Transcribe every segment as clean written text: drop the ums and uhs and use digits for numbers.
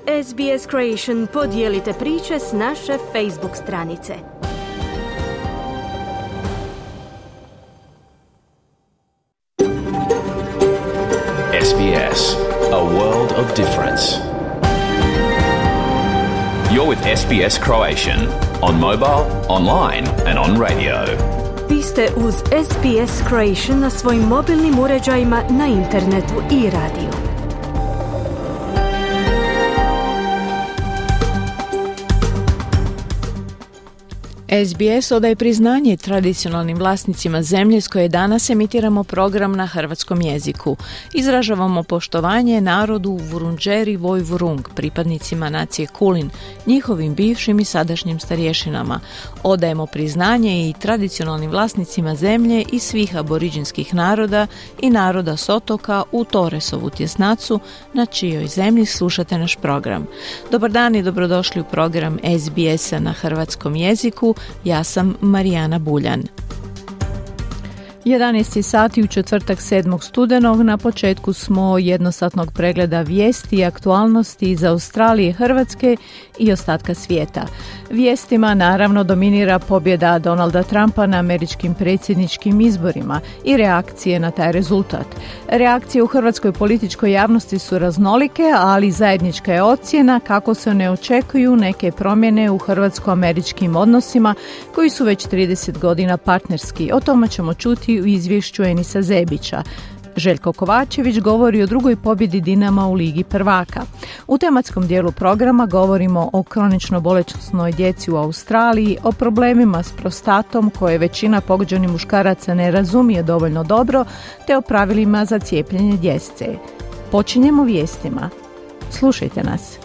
SBS Creation podijelite priče s naše Facebook stranice. SBS, a world of difference. You're with SBS Croatian on mobile, online and on radio. Vi ste uz SBS Creation na svojim mobilnim uređajima, na internetu i radiju. SBS odaje priznanje tradicionalnim vlasnicima zemlje s koje danas emitiramo program na hrvatskom jeziku. Izražavamo poštovanje narodu Vurundjeri Woi-wurrung, pripadnicima nacije Kulin, njihovim bivšim i sadašnjim starješinama. Odajemo priznanje i tradicionalnim vlasnicima zemlje i svih aboriđinskih naroda i naroda s otoka u Torresovu tjesnacu, na čijoj zemlji slušate naš program. Dobar dan i dobrodošli u program SBS-a na hrvatskom jeziku. Ja sam Marijana Buljan. 11 sati u četvrtak 7. studenog, na početku smo jednosatnog pregleda vijesti i aktualnosti iz Australije, Hrvatske i ostatka svijeta. Vijestima naravno dominira pobjeda Donalda Trumpa na američkim predsjedničkim izborima i reakcije na taj rezultat. Reakcije u hrvatskoj političkoj javnosti su raznolike, ali zajednička je ocjena kako se ne očekuju neke promjene u hrvatsko-američkim odnosima koji su već 30 godina partnerski. O tome ćemo čuti u izvješću Enisa Zebića. Željko Kovačević govori o drugoj pobjedi Dinama u Ligi prvaka. U tematskom dijelu programa govorimo o kronično bolesnoj djeci u Australiji, o problemima s prostatom koje većina pogođenih muškaraca ne razumije dovoljno dobro, te o pravilima za cijepljenje djece. Počinjemo vijestima. Slušajte nas.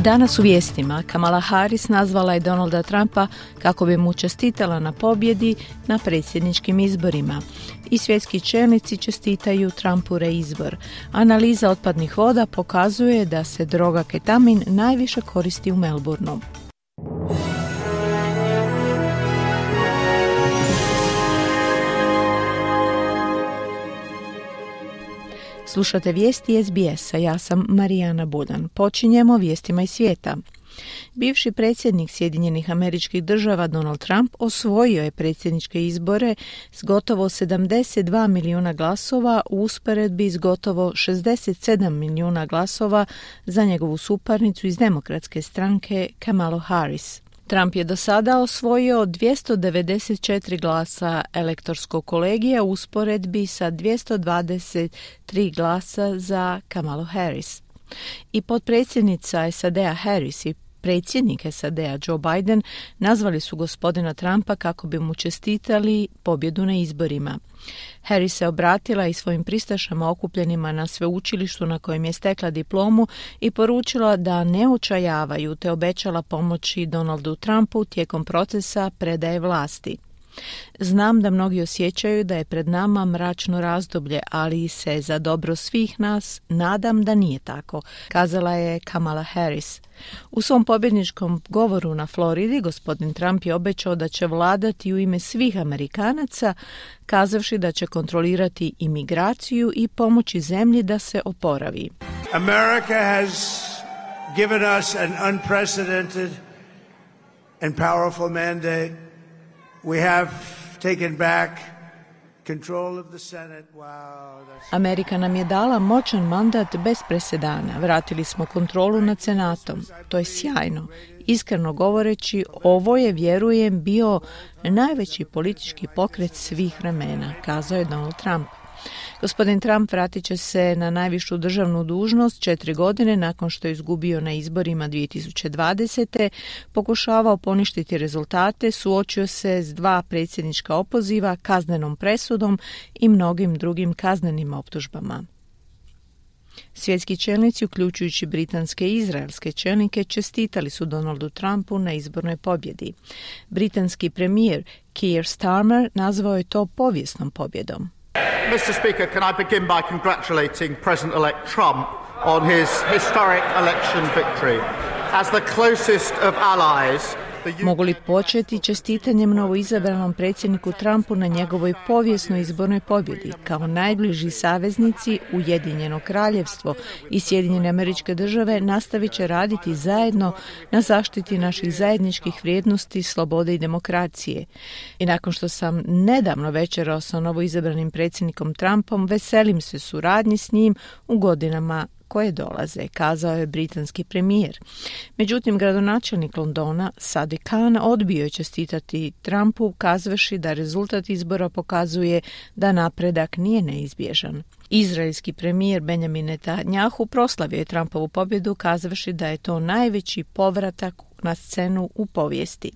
Danas u vijestima Kamala Harris nazvala je Donalda Trumpa kako bi mu čestitala na pobjedi na predsjedničkim izborima. I svjetski čelnici čestitaju Trumpu reizbor. Analiza otpadnih voda pokazuje da se droga ketamin najviše koristi u Melbourneu. Slušate vijesti SBS-a, ja sam Marijana Buljan. Počinjemo vijestima iz svijeta. Bivši predsjednik Sjedinjenih Američkih Država Donald Trump osvojio je predsjedničke izbore s gotovo 72 milijuna glasova u usporedbi s gotovo 67 milijuna glasova za njegovu suparnicu iz Demokratske stranke Kamalu Harris. Trump je do sada osvojio 294 glasa elektorskog kolegija u usporedbi sa 223 glasa za Kamalu Harris. I potpredsjednica SAD-a Harris i predsjednik SAD-a Joe Biden nazvali su gospodina Trumpa kako bi mu čestitali pobjedu na izborima. Harris se obratila i svojim pristašama okupljenima na sveučilištu na kojem je stekla diplomu i poručila da ne očajavaju, te obećala pomoći Donaldu Trumpu tijekom procesa predaje vlasti. Znam da mnogi osjećaju da je pred nama mračno razdoblje, ali se za dobro svih nas nadam da nije tako, kazala je Kamala Harris. U svom pobjedničkom govoru na Floridi gospodin Trump je obećao da će vladati u ime svih Amerikanaca, kazavši da će kontrolirati imigraciju i pomoći zemlji da se oporavi. America has given us an unprecedented and powerful mandate. We have taken back control of the Senate. Wow, Amerika nam je dala moćan mandat bez presedana. Vratili smo kontrolu nad Senatom. To je sjajno. Iskreno govoreći, ovo je, vjerujem, bio najveći politički pokret svih vremena, kazao je Donald Trump. Gospodin Trump vratit će se na najvišu državnu dužnost 4 godine nakon što je izgubio na izborima 2020. Pokušavao poništiti rezultate, suočio se s 2 predsjednička opoziva, kaznenom presudom i mnogim drugim kaznenim optužbama. Svjetski čelnici, uključujući britanske i izraelske čelnike, čestitali su Donaldu Trumpu na izbornoj pobjedi. Britanski premijer Keir Starmer nazvao je to povijesnom pobjedom. Mr. Speaker, can I begin by congratulating President-elect Trump on his historic election victory? As the closest of allies, Mogu li početi čestitanjem novoizabranom predsjedniku Trumpu na njegovoj povijesnoj izbornoj pobjedi? Kao najbliži saveznici Ujedinjeno kraljevstvo i Sjedinjene Američke Države nastavit će raditi zajedno na zaštiti naših zajedničkih vrijednosti, slobode i demokracije. I nakon što sam nedavno večerao sa novoizabranim predsjednikom Trumpom, veselim se suradnji s njim u godinama koje dolaze, kazao je britanski premijer. Međutim, gradonačelnik Londona Sadiq Khan odbio je čestitati Trumpu, kazavši da rezultat izbora pokazuje da napredak nije neizbježan. Izraelski premijer Benjamin Netanjahu proslavio je Trumpovu pobjedu, kazavši da je to najveći povratak na scenu u povijesti.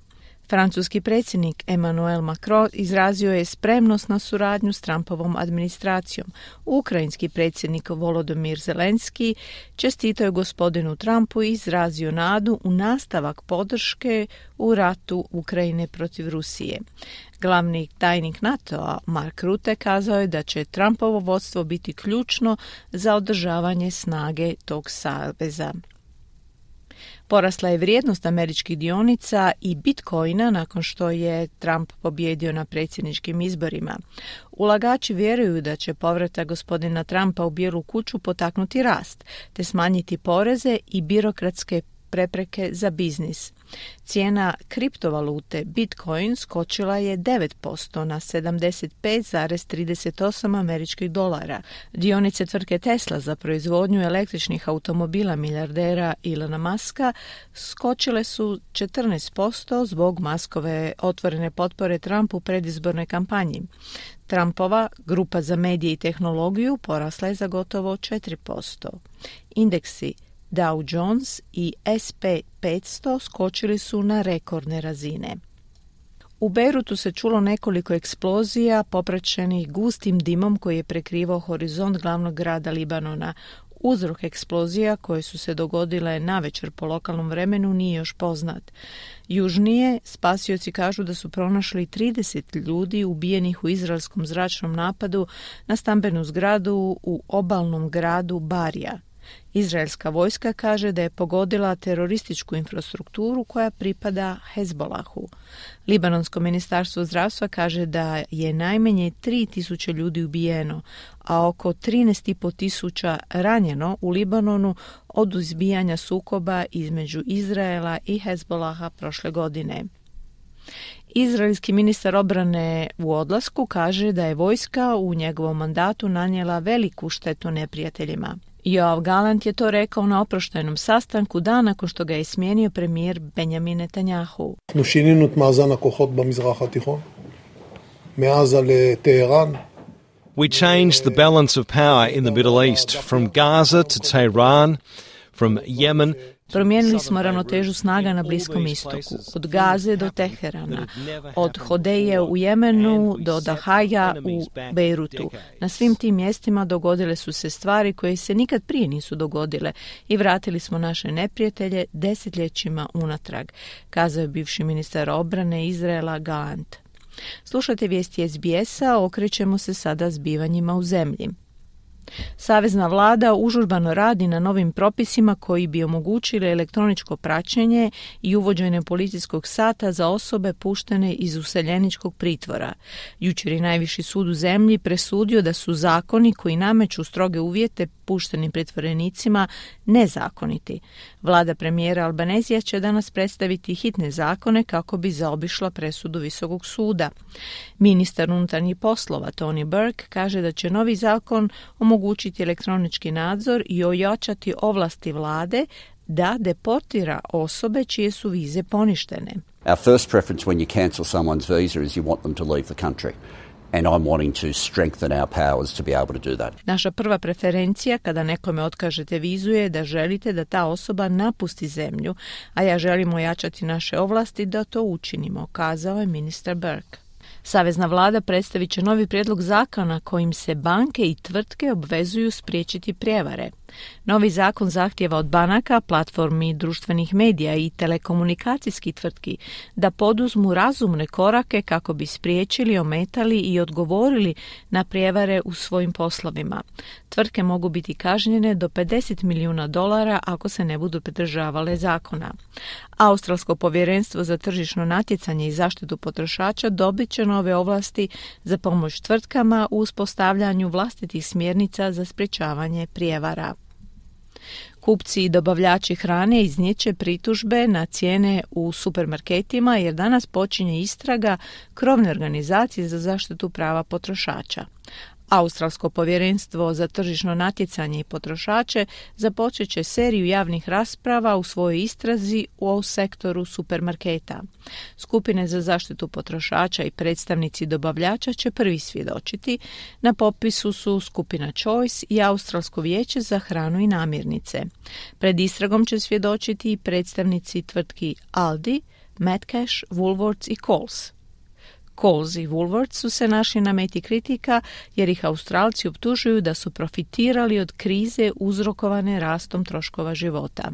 Francuski predsjednik Emmanuel Macron izrazio je spremnost na suradnju s Trumpovom administracijom. Ukrajinski predsjednik Volodymyr Zelenski čestitao je gospodinu Trumpu i izrazio nadu u nastavak podrške u ratu Ukrajine protiv Rusije. Glavni tajnik NATO-a Mark Rutte kazao je da će Trumpovo vodstvo biti ključno za održavanje snage tog saveza. Porasla je vrijednost američkih dionica i Bitcoina nakon što je Trump pobjedio na predsjedničkim izborima. Ulagači vjeruju da će povratak gospodina Trumpa u Bijelu kuću potaknuti rast, te smanjiti poreze i birokratske prepreke za biznis. Cijena kriptovalute Bitcoin skočila je 9% na 75,38 američkih dolara. Dionice tvrtke Tesla za proizvodnju električnih automobila milijardera Elona Muska skočile su 14% zbog Muskove otvorene potpore Trumpu u predizbornoj kampanji. Trumpova grupa za medije i tehnologiju porasla je za gotovo 4%. Indeksi Dow Jones i SP 500 skočili su na rekordne razine. U Beirutu se čulo nekoliko eksplozija popraćenih gustim dimom koji je prekrivao horizont glavnog grada Libanona. Uzrok eksplozija koje su se dogodile navečer po lokalnom vremenu nije još poznat. Južnije spasioci kažu da su pronašli 30 ljudi ubijenih u izraelskom zračnom napadu na stambenu zgradu u obalnom gradu Barija. Izraelska vojska kaže da je pogodila terorističku infrastrukturu koja pripada Hezbolahu. Libanonsko ministarstvo zdravstva kaže da je najmanje 3.000 ljudi ubijeno, a oko 13.500 ranjeno u Libanonu od izbijanja sukoba između Izraela i Hezbolaha prošle godine. Izraelski ministar obrane u odlasku kaže da je vojska u njegovom mandatu nanijela veliku štetu neprijateljima. Yoav Gallant je to rekao na oproštajnom sastanku dan nakon što ga je smijenio premijer Benjamin Netanjahu. שינינו את מאזן הכוחות במזרח התיכון. מעזה לטהרן. We changed the balance of power in the Middle East, from Gaza to Tehran, from Yemen. Promijenili smo ravnotežu snaga na Bliskom istoku, od Gaze do Teherana, od Hodeje u Jemenu do Dahaja u Beirutu. Na svim tim mjestima dogodile su se stvari koje se nikad prije nisu dogodile i vratili smo naše neprijatelje desetljećima unatrag, kazao je bivši ministar obrane Izraela Gallant. Slušajte vijesti SBS-a, okrećemo se sada zbivanjima u zemlji. Savezna vlada užurbano radi na novim propisima koji bi omogućili elektroničko praćenje i uvođenje policijskog sata za osobe puštene iz useljeničkog pritvora. Jučer je najviši sud u zemlji presudio da su zakoni koji nameću stroge uvjete puštenim pritvorenicima nezakoniti. Vlada premijera Albanezija će danas predstaviti hitne zakone kako bi zaobišla presudu Visokog suda. Ministar unutarnjih poslova Tony Burke kaže da će novi zakon omogućiti elektronički nadzor i ojačati ovlasti vlade da deportira osobe čije su vize poništene. Our first preference when you cancel someone's visa is you want them to leave the country. And I'm wanting to strengthen our powers to be able to do that. Naša prva preferencija kada nekome otkažete vizu je da želite da ta osoba napusti zemlju, a ja želim ojačati naše ovlasti da to učinimo, kazao je ministar Burke. Savezna vlada predstavit će novi prijedlog zakona kojim se banke i tvrtke obvezuju spriječiti prijevare. Novi zakon zahtijeva od banaka, platformi društvenih medija i telekomunikacijskih tvrtki da poduzmu razumne korake kako bi spriječili, ometali i odgovorili na prijevare u svojim poslovima. Tvrtke mogu biti kažnjene do $50 milijuna ako se ne budu pridržavale zakona. Australsko povjerenstvo za tržišno natjecanje i zaštitu potrošača dobit će nove ovlasti za pomoć tvrtkama u uspostavljanju vlastitih smjernica za sprječavanje prijevara. Kupci i dobavljači hrane iznijet će pritužbe na cijene u supermarketima jer danas počinje istraga krovne organizacije za zaštitu prava potrošača. Australsko povjerenstvo za tržišno natjecanje i potrošače započet će seriju javnih rasprava u svojoj istrazi u sektoru supermarketa. Skupine za zaštitu potrošača i predstavnici dobavljača će prvi svjedočiti. Na popisu su skupina Choice i Australsko vijeće za hranu i namirnice. Pred istragom će svjedočiti i predstavnici tvrtki Aldi, Metcash, Woolworths i Coles. Coles i Woolworths su se našli na meti kritika jer ih Australci optužuju da su profitirali od krize uzrokovane rastom troškova života.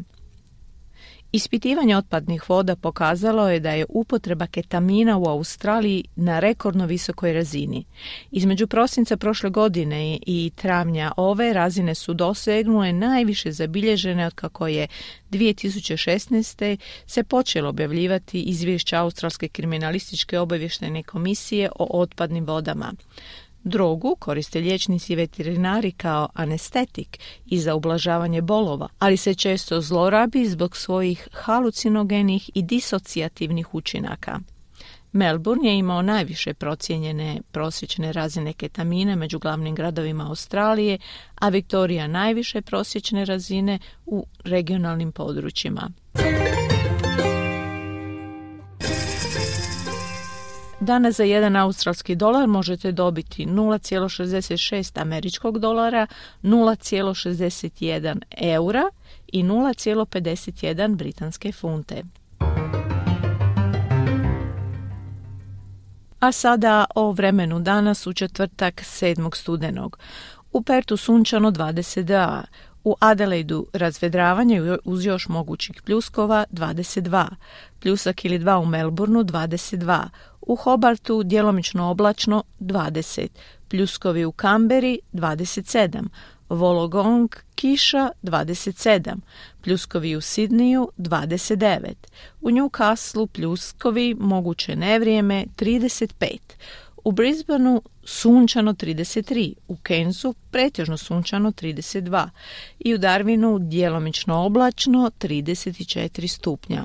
Ispitivanje otpadnih voda pokazalo je da je upotreba ketamina u Australiji na rekordno visokoj razini. Između prosinca prošle godine i travnja ove razine su dosegnule najviše zabilježene otkako je 2016. se počelo objavljivati izvješća Australske kriminalističke obavještajne komisije o otpadnim vodama. Drogu koriste liječnici i veterinari kao anestetik i za ublažavanje bolova, ali se često zlorabi zbog svojih halucinogenih i disocijativnih učinaka. Melbourne je imao najviše procijenjene prosječne razine ketamina među glavnim gradovima Australije, a Viktorija najviše prosječne razine u regionalnim područjima. Danas za $1 australski možete dobiti 0,66 američkog dolara, 0,61 eura i 0,51 britanske funte. A sada o vremenu danas u četvrtak 7. studenog. U Pertu sunčano 22, u Adelaidu razvedravanje uz još mogućih pljuskova 22, pljusak ili 2 u Melbourneu 22, u Hobartu djelomično oblačno 20, pljuskovi u Kamberi 27, Wollongong kiša 27, pljuskovi u Sidneju 29, u Newcastleu pljuskovi, moguće nevrijeme 35, u Brisbaneu sunčano 33, u Cairnsu pretežno sunčano 32 i u Darwinu djelomično oblačno 34 stupnja.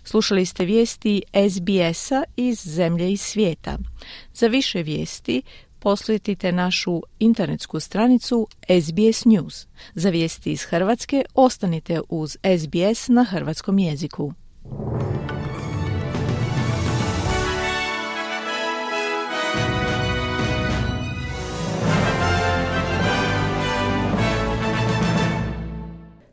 Slušali ste vijesti SBS-a iz zemlje i svijeta. Za više vijesti posjetite našu internetsku stranicu SBS News. Za vijesti iz Hrvatske ostanite uz SBS na hrvatskom jeziku.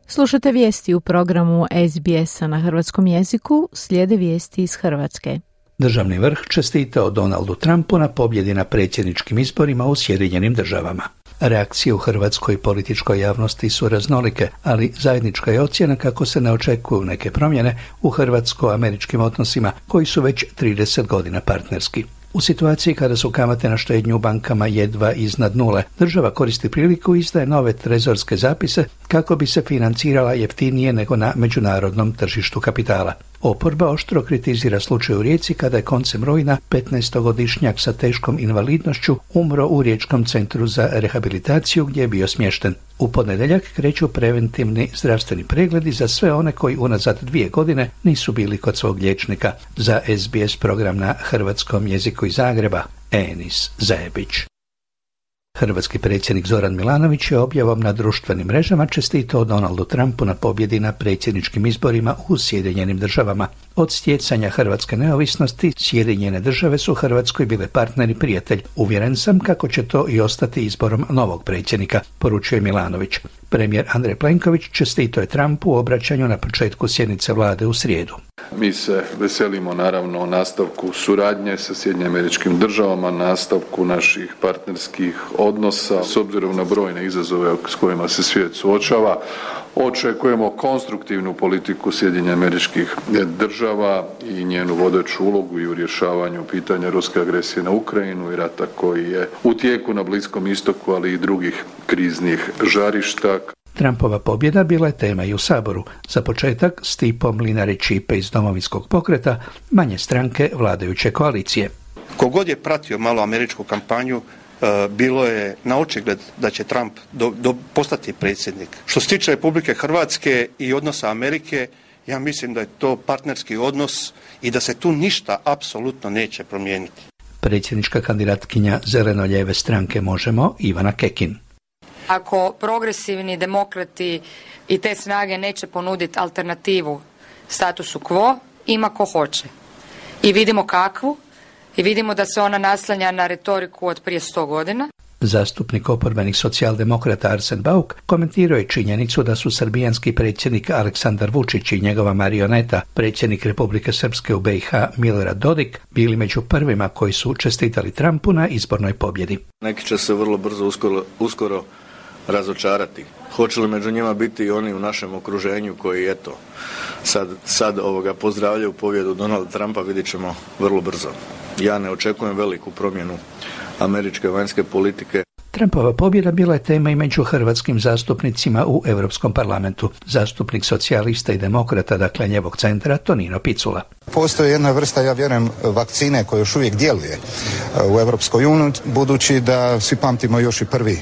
Slušate vijesti u programu SBS-a na hrvatskom jeziku, slijede vijesti iz Hrvatske. Državni vrh čestitao Donaldu Trumpu na pobjedi na predsjedničkim izborima u Sjedinjenim Državama. Reakcije u hrvatskoj političkoj javnosti su raznolike, ali zajednička je ocjena kako se ne očekuju neke promjene u hrvatsko-američkim odnosima koji su već 30 godina partnerski. U situaciji kada su kamate na štednju u bankama jedva iznad nule, država koristi priliku i izdaje nove trezorske zapise kako bi se financirala jeftinije nego na međunarodnom tržištu kapitala. Oporba oštro kritizira slučaj u Rijeci kada je koncem rujna 15-godišnjak sa teškom invalidnošću umro u Riječkom centru za rehabilitaciju gdje je bio smješten. U ponedjeljak kreću preventivni zdravstveni pregledi za sve one koji unazad 2 godine nisu bili kod svog liječnika. Za SBS program na hrvatskom jeziku iz Zagreba, Enis Zajebić. Hrvatski predsjednik Zoran Milanović je objavom na društvenim mrežama čestitao Donaldu Trumpu na pobjedi na predsjedničkim izborima u Sjedinjenim Državama. Od stjecanja hrvatske neovisnosti Sjedinjene Države su Hrvatskoj bile partner i prijatelj. Uvjeren sam kako će to i ostati izborom novog predsjednika, poručuje Milanović. Premijer Andrej Plenković čestitao je Trumpu u obraćanju na početku sjednice vlade u srijedu. Mi se veselimo naravno nastavku suradnje sa SAD-om, nastavku naših partnerskih odnosa s obzirom na brojne izazove s kojima se svijet suočava. Očekujemo konstruktivnu politiku SAD-a i njenu vodeću ulogu i u rješavanju pitanja ruske agresije na Ukrajinu i rata koji je u tijeku na Bliskom istoku, ali i drugih kriznih žarišta. Trumpova pobjeda bila je tema i u Saboru. Za početak Stipo Mlinarić-Ćipe iz Domovinskog pokreta, manje stranke vladajuće koalicije. Kogod je pratio malo američku kampanju, bilo je na očigled da će Trump postati predsjednik. Što se tiče Republike Hrvatske i odnosa Amerike, ja mislim da je to partnerski odnos i da se tu ništa apsolutno neće promijeniti. Predsjednička kandidatkinja zeleno-lijeve stranke Možemo, Ivana Kekin. Ako progresivni demokrati i te snage neće ponuditi alternativu statusu quo, ima ko hoće. I vidimo kakvu, i vidimo da se ona naslanja na retoriku od prije 100 godina. Zastupnik oporbenih socijaldemokrata Arsen Bauk komentirao je činjenicu da su srbijanski predsjednik Aleksandar Vučić i njegova marioneta, predsjednik Republike Srpske u BiH Milorad Dodik, bili među prvima koji su čestitali Trumpu na izbornoj pobjedi. Neki će se vrlo brzo uskoro razočarati. Hoće li među njima biti i oni u našem okruženju koji eto sad pozdravljaju pobjedu Donalda Trumpa, vidjet ćemo vrlo brzo. Ja ne očekujem veliku promjenu američke vanjske politike. Trumpova pobjeda bila je tema i među hrvatskim zastupnicima u Europskom parlamentu. Zastupnik socijalista i demokrata, dakle njevog centra, Tonino Picula. Postoji jedna vrsta, ja vjerujem, vakcine koja još uvijek djeluje u Europskoj uniji, budući da svi pamtimo još i prvi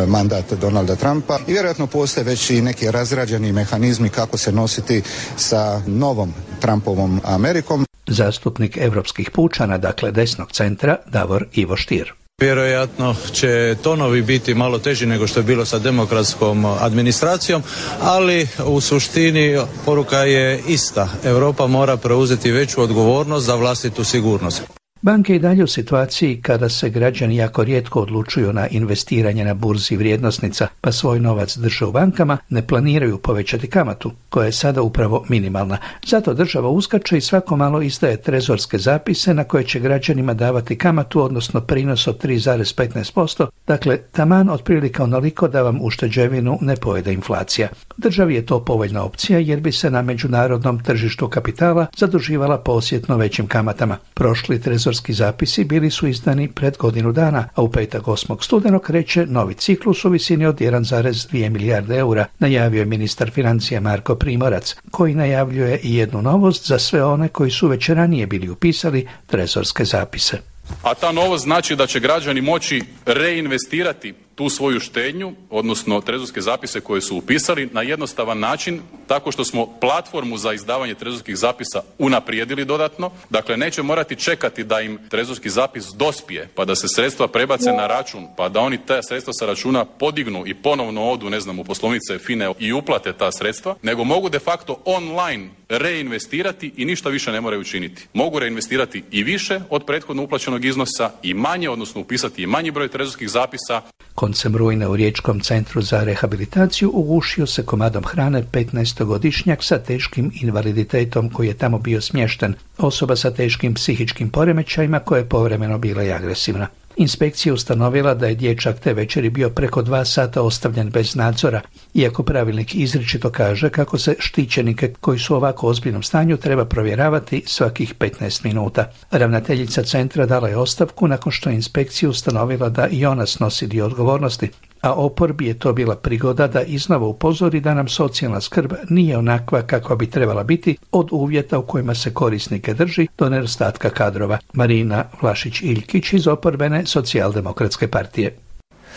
mandat Donalda Trumpa i vjerojatno postoje već i neki razrađeni mehanizmi kako se nositi sa novom Trumpovom Amerikom. Zastupnik europskih pučana, dakle desnog centra, Davor Ivo Stier. Vjerojatno će tonovi biti malo teži nego što je bilo sa demokratskom administracijom, ali u suštini poruka je ista. Europa mora preuzeti veću odgovornost za vlastitu sigurnost. Banke i dalje u situaciji kada se građani jako rijetko odlučuju na investiranje na burzi vrijednosnica, pa svoj novac drže u bankama, ne planiraju povećati kamatu, koja je sada upravo minimalna. Zato država uskače i svako malo izdaje trezorske zapise na koje će građanima davati kamatu, odnosno prinos od 3,15%, dakle taman otprilike onoliko da vam ušteđevinu ne pojede inflacija. Državi je to povoljna opcija jer bi se na međunarodnom tržištu kapitala zaduživala po osjetno većim kamatama. Prošli trezorski zapisi bili su izdani pred godinu dana, a u petak 8. studenog kreće novi ciklus u visini od 1,2 milijarde eura, najavio je ministar financija Marko Primorac, koji najavljuje i jednu novost za sve one koji su već ranije bili upisali trezorske zapise. A ta novost znači da će građani moći reinvestirati tu svoju štednju, odnosno trezorske zapise koje su upisali na jednostavan način, tako što smo platformu za izdavanje trezorskih zapisa unaprijedili dodatno. Dakle, neće morati čekati da im trezorski zapis dospije, pa da se sredstva prebace na račun, pa da oni ta sredstva sa računa podignu i ponovno odu, u poslovnice FINE i uplate ta sredstva, nego mogu de facto online reinvestirati i ništa više ne moraju učiniti. Mogu reinvestirati i više od prethodno uplaćenog iznosa i manje, odnosno upisati i manji broj trezorskih zapisa. Koncem rujna u Riječkom centru za rehabilitaciju ugušio se komadom hrane 15-godišnjak sa teškim invaliditetom koji je tamo bio smješten. Osoba sa teškim psihičkim poremećajima koja je povremeno bila i agresivna. Inspekcija ustanovila da je dječak te večeri bio preko 2 sata ostavljen bez nadzora, iako pravilnik izričito kaže kako se štićenike koji su u ovako ozbiljnom stanju treba provjeravati svakih 15 minuta. Ravnateljica centra dala je ostavku nakon što je inspekcija ustanovila da i ona snosi dio odgovornosti, a oporbi je to bila prigoda da iznova upozori da nam socijalna skrb nije onakva kakva bi trebala biti, od uvjeta u kojima se korisnike drži do nedostatka kadrova. Marina Vlašić-Iljkić iz oporbene Socijaldemokratske partije.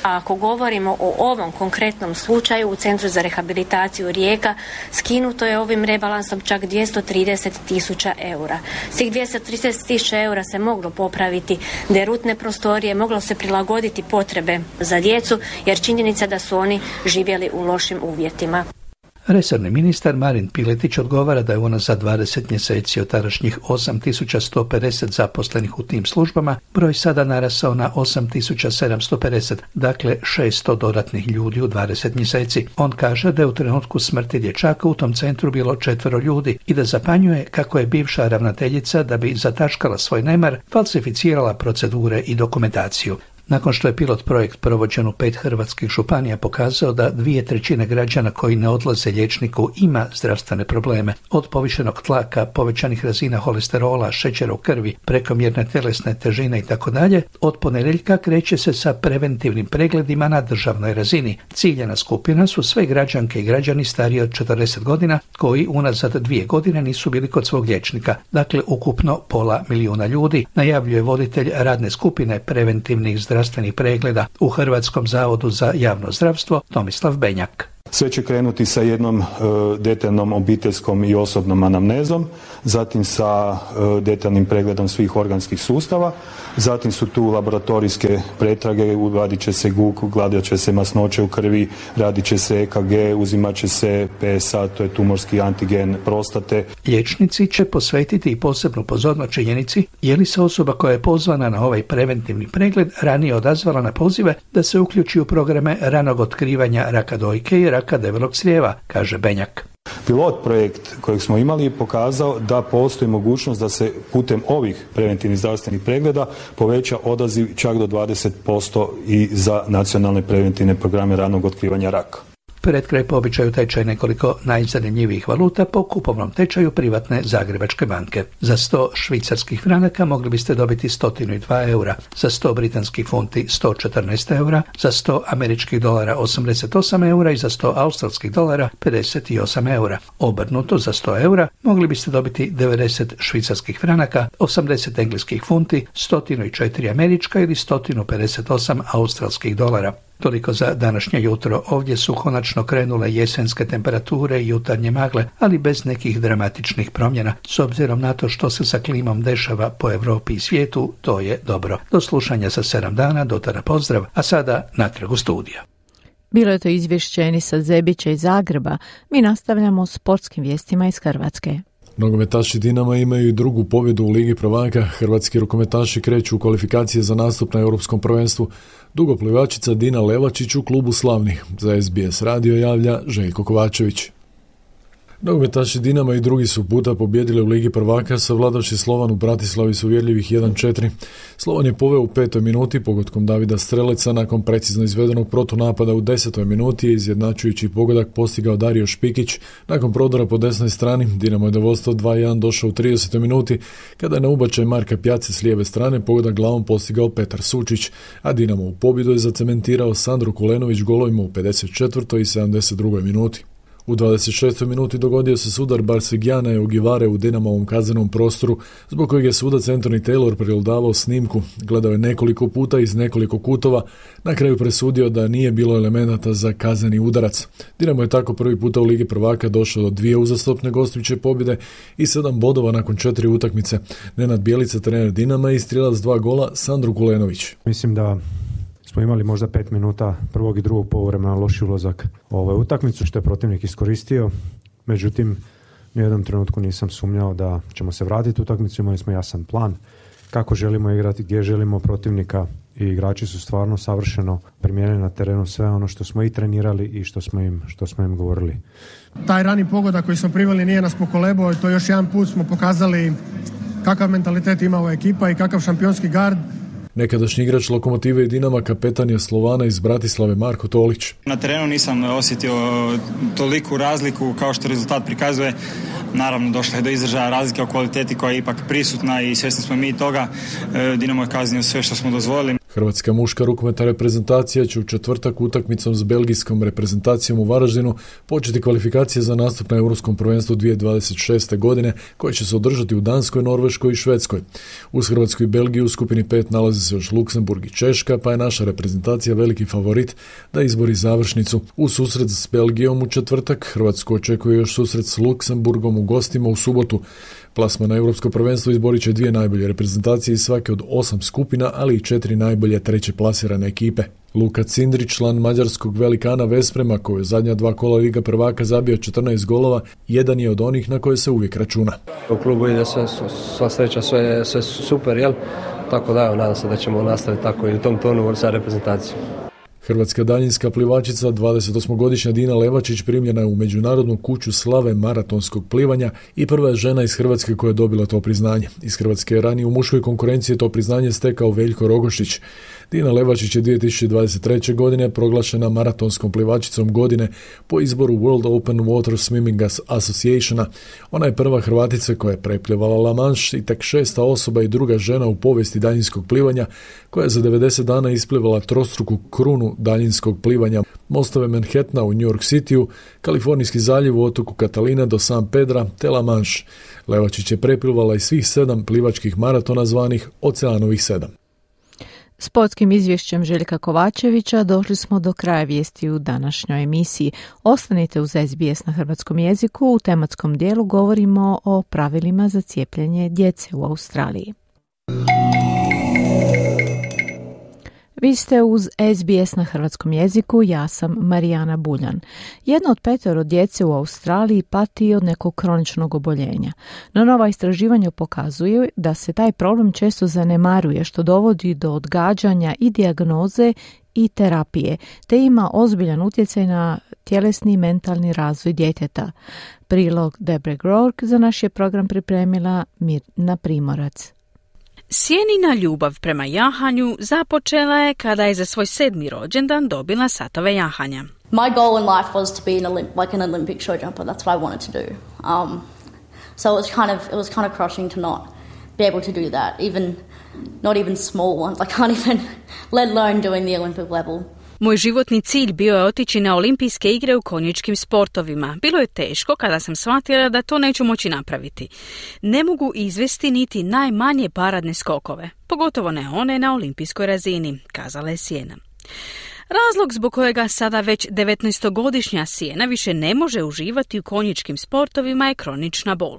A ako govorimo o ovom konkretnom slučaju u Centru za rehabilitaciju Rijeka, skinuto je ovim rebalansom čak 230.000 eura. S tih 230.000 eura se moglo popraviti derutne prostorije, moglo se prilagoditi potrebe za djecu, jer činjenica da su oni živjeli u lošim uvjetima. Resorni ministar Marin Piletić odgovara da je unazad 20 mjeseci od tadašnjih 8.150 zaposlenih u tim službama broj sada narasao na 8.750, dakle 600 dodatnih ljudi u 20 mjeseci. On kaže da je u trenutku smrti dječaka u tom centru bilo 4 ljudi i da zapanjuje kako je bivša ravnateljica, da bi zataškala svoj nemar, falsificirala procedure i dokumentaciju. Nakon što je pilot projekt provođen u 5 hrvatskih županija pokazao da 2/3 građana koji ne odlaze liječniku ima zdravstvene probleme, od povišenog tlaka, povećanih razina holesterola, šećera u krvi, prekomjerne tjelesne težine itd., od ponedjeljka kreće se sa preventivnim pregledima na državnoj razini. Ciljana skupina su sve građanke i građani stariji od 40 godina koji unazad 2 godine nisu bili kod svog liječnika, dakle ukupno 500.000 ljudi, najavljuje voditelj radne skupine preventivnih zdravstvenih pregleda u Hrvatskom zavodu za javno zdravstvo Tomislav Benjak. Sve će krenuti sa jednom detaljnom obiteljskom i osobnom anamnezom, zatim sa detaljnim pregledom svih organskih sustava, zatim su tu laboratorijske pretrage, radit će se GUK, gledat će se masnoće u krvi, radit će se EKG, uzimat će se PSA, to je tumorski antigen prostate. Liječnici će posvetiti i posebnu pozornost činjenici je li se osoba koja je pozvana na ovaj preventivni pregled ranije odazvala na pozive da se uključi u programe ranog otkrivanja raka dojke i raka debelog crijeva, kaže Benjak. Pilot projekt kojeg smo imali je pokazao da postoji mogućnost da se putem ovih preventivnih zdravstvenih pregleda poveća odaziv čak do 20% i za nacionalne preventivne programe ranog otkrivanja raka. Pred kraj po običaju tečaj nekoliko najzanimljivijih valuta po kupovnom tečaju privatne Zagrebačke banke. Za 100 švicarskih franaka mogli biste dobiti 102 eura, za 100 britanskih funti 114 eura, za 100 američkih dolara 88 eura i za 100 australskih dolara 58 eura. Obrnuto, za 100 eura mogli biste dobiti 90 švicarskih franaka, 80 engleskih funti, 104 američka ili 158 australskih dolara. Toliko za današnje jutro. Ovdje su konačno krenule jesenske temperature i jutarnje magle, ali bez nekih dramatičnih promjena. S obzirom na to što se sa klimom dešava po Europi i svijetu, to je dobro. Do slušanja za 7 dana, do tada pozdrav, a sada natrag u studiju. Bilo je to izvješće Enisa Zebića iz Zagreba. Mi nastavljamo s sportskim vijestima iz Hrvatske. Nogometaši Dinama imaju i drugu pobjedu u Ligi prvaka. Hrvatski rukometaši kreću u kvalifikacije za nastup na Europskom prvenstvu. Dugoplivačica Dina Levačić u klubu slavnih. Za SBS radio javlja Željko Kovačević. Nogometaši Dinama i drugi su puta pobjedili u Ligi prvaka, savladavši Slovan u Bratislavi s uvjerljivih 1-4. Slovan je poveo u 5. minuti pogodkom Davida Streleca, nakon precizno izvedenog protunapada u 10. minuti je izjednačujući pogodak postigao Dario Špikić. Nakon prodora po desnoj strani, Dinamo je do vodstva 2-1 došao u 30. minuti, kada je na ubačaj Marka Pjace s lijeve strane pogodak glavom postigao Petar Sučić, a Dinamo u pobjedu je zacementirao Sandro Kulenović golovima u 54. i 72. minuti. U 26. minuti dogodio se sudar Barsegjana i Ogivare u Dinamovom kaznenom prostoru, zbog kojeg je sudac Anthony Taylor pregledavao snimku, gledao je nekoliko puta iz nekoliko kutova, na kraju presudio da nije bilo elemenata za kazneni udarac. Dinamo je tako prvi puta u Ligi prvaka došao do 2 uzastopne gostujuće pobjede i 7 bodova nakon 4 utakmice. Nenad Bjelica, trener Dinama, i strijelac 2 gola Sandro Kulenović. Mislim da smo imali možda 5 minuta prvog i drugog poluvremena loši ulazak u ovu utakmicu, što je protivnik iskoristio. Međutim, u jednom trenutku nisam sumnjao da ćemo se vratiti u utakmicu. Imali smo jasan plan kako želimo igrati, gdje želimo protivnika, i igrači su stvarno savršeno primijenili na terenu sve ono što smo i trenirali i što smo im govorili. Taj rani pogodak koji smo priveli nije nas pokolebao i to još jedan put smo pokazali kakav mentalitet ima ova ekipa i kakav šampionski gard. Nekadašnji igrač Lokomotive i Dinama, kapetan je Slovana iz Bratislave Marko Tolić. Na terenu nisam osjetio toliku razliku kao što rezultat prikazuje. Naravno, došlo je do izražaja razlike o kvaliteti koja je ipak prisutna i svjesni smo mi toga. Dinamo je kaznio sve što smo dozvolili. Hrvatska muška rukometna reprezentacija će u četvrtak utakmicom s belgijskom reprezentacijom u Varaždinu početi kvalifikacije za nastup na Europskom prvenstvu 2026. godine, koje će se održati u Danskoj, Norveškoj i Švedskoj. Uz Hrvatsku i Belgiju u skupini 5 nalazi se još Luksemburg i Češka, pa je naša reprezentacija veliki favorit da izbori završnicu. U susret s Belgijom u četvrtak Hrvatsku očekuje još susret s Luksemburgom u gostima u subotu. Plasman na Europsko prvenstvo izborit će 2 najbolje reprezentacije iz svake od 8 skupina, ali i 4 najbolje najbolje treće plasirane ekipe. Luka Cindrić, član mađarskog velikana Vesprema, koji je zadnja 2 kola Liga prvaka zabio 14 golova, jedan je od onih na koje se uvijek računa. U klubu ide sva sreća, sve super, jel? Tako da, nadam se da ćemo nastaviti tako i u tom tonu sa reprezentacijom. Hrvatska daljinska plivačica, 28-godišnja Dina Levačić, primljena je u Međunarodnu kuću slave maratonskog plivanja i prva je žena iz Hrvatske koja je dobila to priznanje. Iz Hrvatske je ranije u muškoj konkurenciji to priznanje stekao Veljko Rogošić. Dina Levačić je 2023. godine proglašena maratonskom plivačicom godine po izboru World Open Water Swimming Associationa. Ona je prva Hrvatica koja je preplivala La Manche i tek 6. osoba i druga žena u povijesti daljinskog plivanja koja je za 90 dana isplivala trostruku krunu daljinskog plivanja. Mostove Manhattana u New York Cityu, Kalifornijski zaljev u otoku Catalina do San Pedra te La Manche. Levačić je preplivala i svih 7 plivačkih maratona zvanih Oceanovih 7. Sportskim izvješćem Željka Kovačevića došli smo do kraja vijesti u današnjoj emisiji. Ostanite uz SBS na hrvatskom jeziku. U tematskom dijelu govorimo o pravilima za cijepljenje djece u Australiji. Vi ste uz SBS na hrvatskom jeziku, ja sam Marijana Buljan. 1 od 5 djece u Australiji pati od nekog kroničnog oboljenja. No nova istraživanja pokazuju da se taj problem često zanemaruje, što dovodi do odgađanja i dijagnoze i terapije, te ima ozbiljan utjecaj na tjelesni i mentalni razvoj djeteta. Prilog Debre Grork za naš je program pripremila Mirna Primorac. Sjenina ljubav prema jahanju započela je kada je za svoj 7. rođendan dobila satove jahanja. My goal in life was to be an Olympic show jumper. That's what I wanted to do. So it was kind of crushing to not be able to do that. Not even small ones. I can't even, let alone doing the Olympic level. Moj životni cilj bio je otići na olimpijske igre u konjičkim sportovima. Bilo je teško kada sam shvatila da to neću moći napraviti. Ne mogu izvesti niti najmanje paradne skokove, pogotovo ne one na olimpijskoj razini, kazala je Sjena. Razlog zbog kojega sada već 19-godišnja Sjena više ne može uživati u konjičkim sportovima je kronična bol.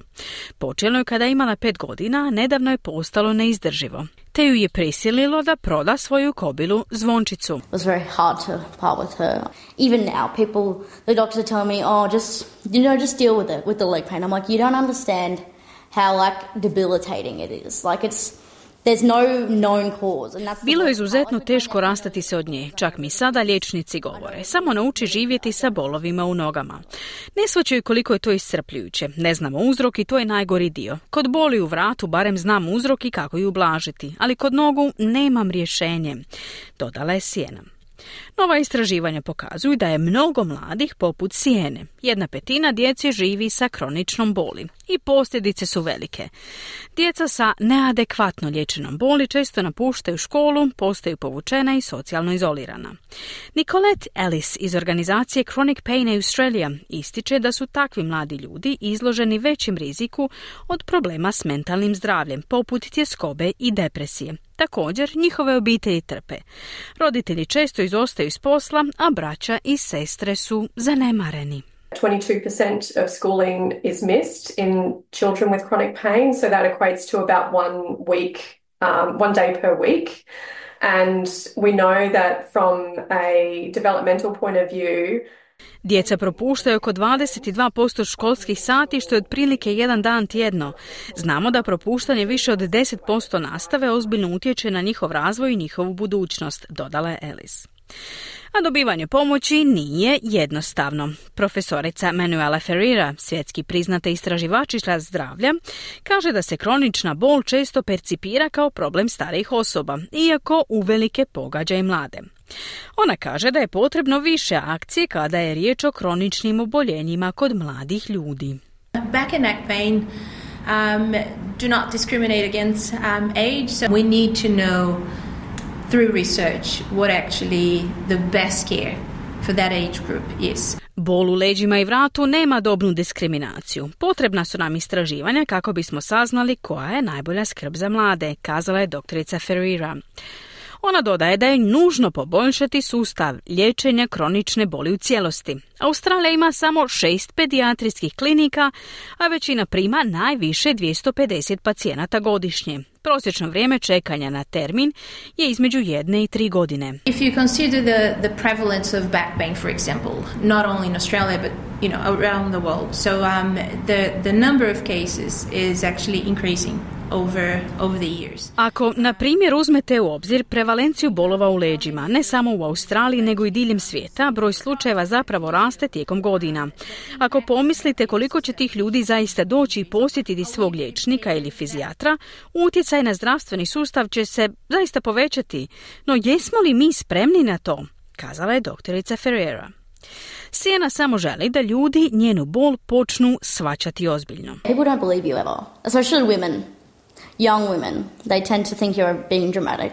Počelo je kada je imala 5 godina, a nedavno je postalo neizdrživo, te ju je prisililo da proda svoju kobilu Zvončicu. It was very hard to part with her. Even now, the doctors tell me, just deal with it, with the leg pain. I'm like, you don't understand how debilitating it is. There's no known cause. Bilo je izuzetno teško rastati se od nje, čak mi sada liječnici govore. Samo nauči živjeti sa bolovima u nogama. Ne shvaćaju koliko je to iscrpljujuće. Ne znamo uzrok i to je najgori dio. Kod boli u vratu barem znam uzrok i kako ju ublažiti, ali kod nogu nemam rješenje, dodala je Sjena. Nova istraživanja pokazuju da je mnogo mladih poput Sjene. 1/5 djece živi sa kroničnom boli i posljedice su velike. Djeca sa neadekvatno liječenom boli često napuštaju školu, postaju povučena i socijalno izolirana. Nicolette Ellis iz organizacije Chronic Pain Australia ističe da su takvi mladi ljudi izloženi većem riziku od problema s mentalnim zdravljem, poput tjeskobe i depresije. Također, njihove obitelji trpe. Roditelji često izostaju iz posla, a braća i sestre su zanemareni. 22% of schooling is missed in children with chronic pain, so that equates to about 1 day per week. And we know that from a developmental point of view, djeca propuštaju oko 22% školskih sati, što je otprilike 1 dan tjedno. Znamo da propuštanje više od 10% nastave ozbiljno utječe na njihov razvoj i njihovu budućnost, dodala je Ellis. A dobivanje pomoći nije jednostavno. Profesorica Manuela Ferreira, svjetski priznata istraživačica zdravlja, kaže da se kronična bol često percipira kao problem starijih osoba, iako uvelike pogađa i mlade. Ona kaže da je potrebno više akcije kada je riječ o kroničnim oboljenjima kod mladih ljudi. Back and neck pain do not discriminate against age, so we need to know through research what actually the best care for that age group is. Bol u leđima i vratu nema dobnu diskriminaciju. Potrebna su nam istraživanja kako bismo saznali koja je najbolja skrb za mlade, kazala je doktorica Ferreira. Ona dodaje da je nužno poboljšati sustav liječenja kronične boli u cijelosti, Australija ima samo 6 pedijatrijskih klinika, a većina prima najviše 250 pacijenata godišnje. Prosječno vrijeme čekanja na termin je između 1 i 3 godine. If you consider the prevalence of back pain, for example, not only in Australia but around the world, so the number of cases is actually increasing over the years. Ako, na primjer, uzmete u obzir prevalenciju bolova u leđima, ne samo u Australiji nego i diljem svijeta, broj slučajeva zapravo raste tijekom godina. Ako pomislite koliko će tih ljudi zaista doći i posjetiti svog liječnika ili fizijatra, utjecaj na zdravstveni sustav će se zaista povećati. No jesmo li mi spremni na to? Kazala je doktorica Ferreira. Sienna samo želi da ljudi njenu bol počnu shvaćati ozbiljno. People don't believe you ever, especially women. Young women, they tend to think you're being dramatic,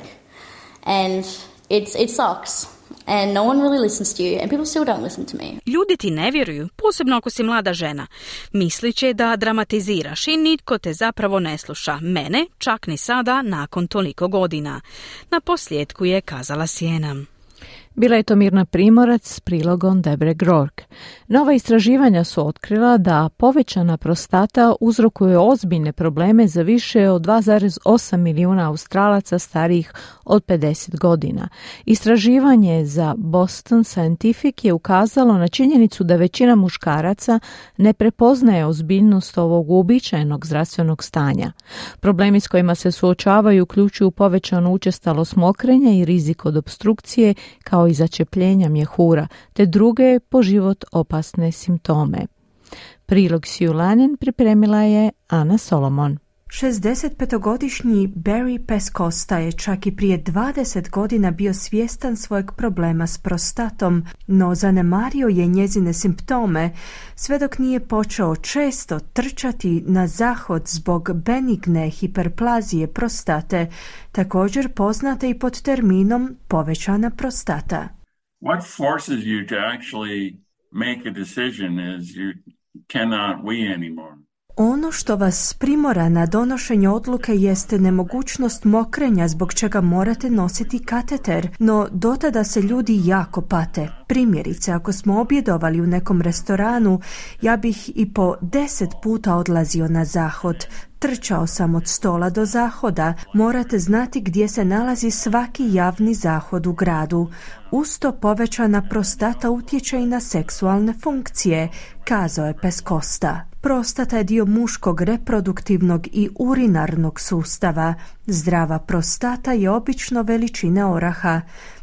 and it sucks, and no one really listens to you, and people still don't listen to me. Ljudi ti ne vjeruju, posebno ako si mlada žena. Mislit će da dramatiziraš i nitko te zapravo ne sluša. Mene, čak ni sada, nakon toliko godina. Na posljedku je kazala Sienna. Bila je to Mirna Primorac s prilogom Debre Grork. Nova istraživanja su otkrila da povećana prostata uzrokuje ozbiljne probleme za više od 2,8 milijuna Australaca starijih od 50 godina. Istraživanje za Boston Scientific je ukazalo na činjenicu da većina muškaraca ne prepoznaje ozbiljnost ovog uobičajenog zdravstvenog stanja. Problemi s kojima se suočavaju uključuju povećanu učestalost mokrenja i rizik od opstrukcije, kao i začepljenja mjehura, te druge po život opasne simptome. Prilog Sue Lannon pripremila je Ana Solomon. 65-godišnji Barry Pescosta je čak i prije 20 godina bio svjestan svojeg problema s prostatom, no zanemario je njezine simptome sve dok nije počeo često trčati na zahod zbog benigne hiperplazije prostate, također poznate i pod terminom povećana prostata. What forces you to actually make a decision is you cannot wee anymore. Ono što vas primora na donošenje odluke jeste nemogućnost mokrenja zbog čega morate nositi kateter, no dotada se ljudi jako pate. Primjerice, ako smo objedovali u nekom restoranu, ja bih i po 10 puta odlazio na zahod. Trčao sam od stola do zahoda, morate znati gdje se nalazi svaki javni zahod u gradu. Uz to povećana prostata utječe i na seksualne funkcije, kazao je Pescosta. Prostata je dio muškog reproduktivnog i urinarnog sustava. Zdrava prostata je obično veličine oraha.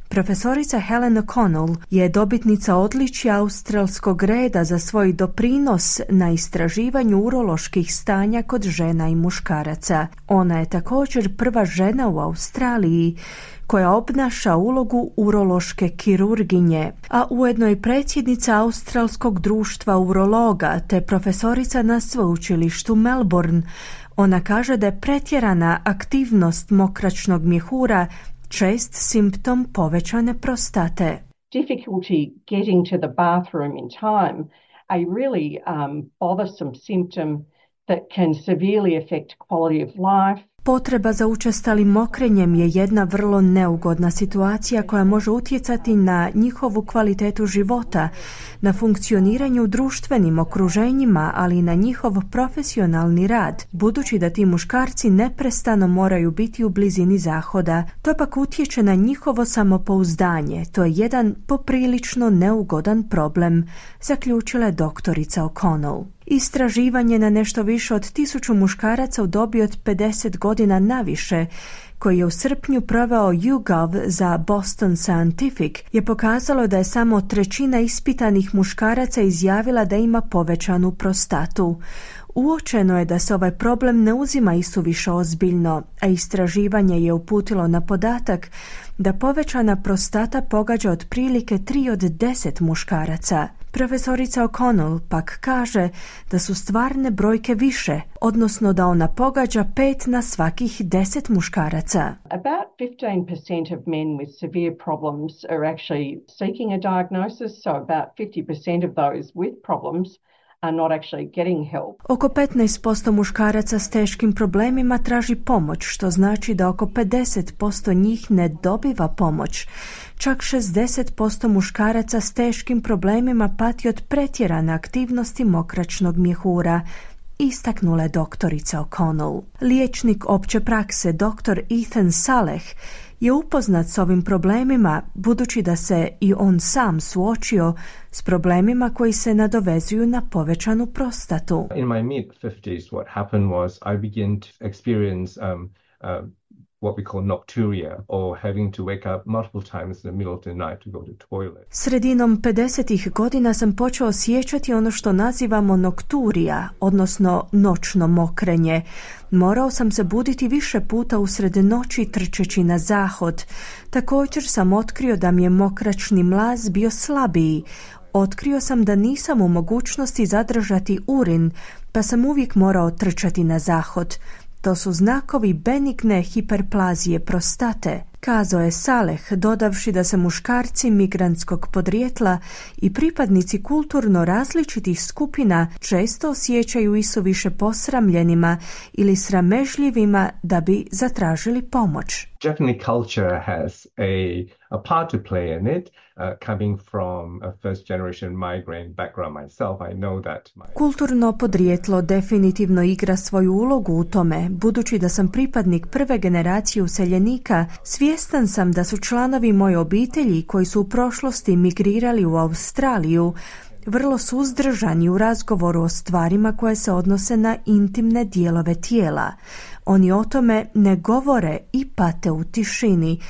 Profesorica Helen O'Connell je dobitnica odličja australskog reda za svoj doprinos na istraživanju uroloških stanja kod žena i muškaraca. Ona je također prva žena u Australiji koja obnaša ulogu urološke kirurginje, a ujedno i predsjednica Australskog društva urologa te profesorica na sveučilištu Melbourne. Ona kaže da je pretjerana aktivnost mokračnog mjehura čest simptom povećane prostate. Difficulty getting to the bathroom in time, a really bothersome symptom that can severely affect quality of life. Potreba za učestalim mokrenjem je jedna vrlo neugodna situacija koja može utjecati na njihovu kvalitetu života, na funkcioniranju u društvenim okruženjima, ali i na njihov profesionalni rad, budući da ti muškarci neprestano moraju biti u blizini zahoda. To pak utječe na njihovo samopouzdanje. To je jedan poprilično neugodan problem, zaključila je doktorica O'Connell. Istraživanje na nešto više od 1000 muškaraca u dobi od 50 godina naviše, koji je u srpnju proveo YouGov za Boston Scientific, je pokazalo da je samo 1/3 ispitanih muškaraca izjavila da ima povećanu prostatu. Uočeno je da se ovaj problem ne uzima isuviše ozbiljno, a istraživanje je uputilo na podatak da povećana prostata pogađa otprilike 3 od 10 muškaraca. Profesorica O'Connell pak kaže da su stvarne brojke više, odnosno da ona pogađa 5 na svakih 10 muškaraca. About 15% of men with severe problems are actually seeking a diagnosis, so about 50% of those with problems are not actually getting help. Oko 15% muškaraca s teškim problemima traži pomoć, što znači da oko 50% njih ne dobiva pomoć. Čak 60% muškaraca s teškim problemima pati od pretjerane aktivnosti mokračnog mjehura, istaknula je doktorica O'Connell. Liječnik opće prakse dr. Ethan Saleh je upoznat s ovim problemima, budući da se i on sam suočio s problemima koji se nadovezuju na povećanu prostatu. In my mid-50s, what happened was I began to experience what we call nocturia, or having to wake up multiple times in the middle of the night to go to the toilet. Sredinom 50-ih godina sam počeo osjećati ono što nazivamo nokturija, odnosno noćno mokrenje. Morao sam se buditi više puta usred noći trčeći na zahod. Također sam otkrio da mi je mokračni mlaz bio slabiji. Otkrio sam da nisam u mogućnosti zadržati urin, pa sam uvijek morao trčati na zahod. To su znakovi benigne hiperplazije prostate, kazao je Saleh, dodavši da se muškarci migrantskog podrijetla i pripadnici kulturno različitih skupina često osjećaju isuviše posramljenima ili sramežljivima da bi zatražili pomoć. Japanese culture has a part to play in it. Coming from a first generation migrant background myself, I know that Kulturno podrijetlo definitivno igra svoju ulogu u tome. Budući da sam pripadnik prve generacije useljenika, svjestan sam da su članovi moje obitelji koji su u prošlosti migrirali u Australiju vrlo suzdržani u razgovoru o stvarima koje se odnose na intimne dijelove tijela. Oni o tome ne govore i pate u tišini,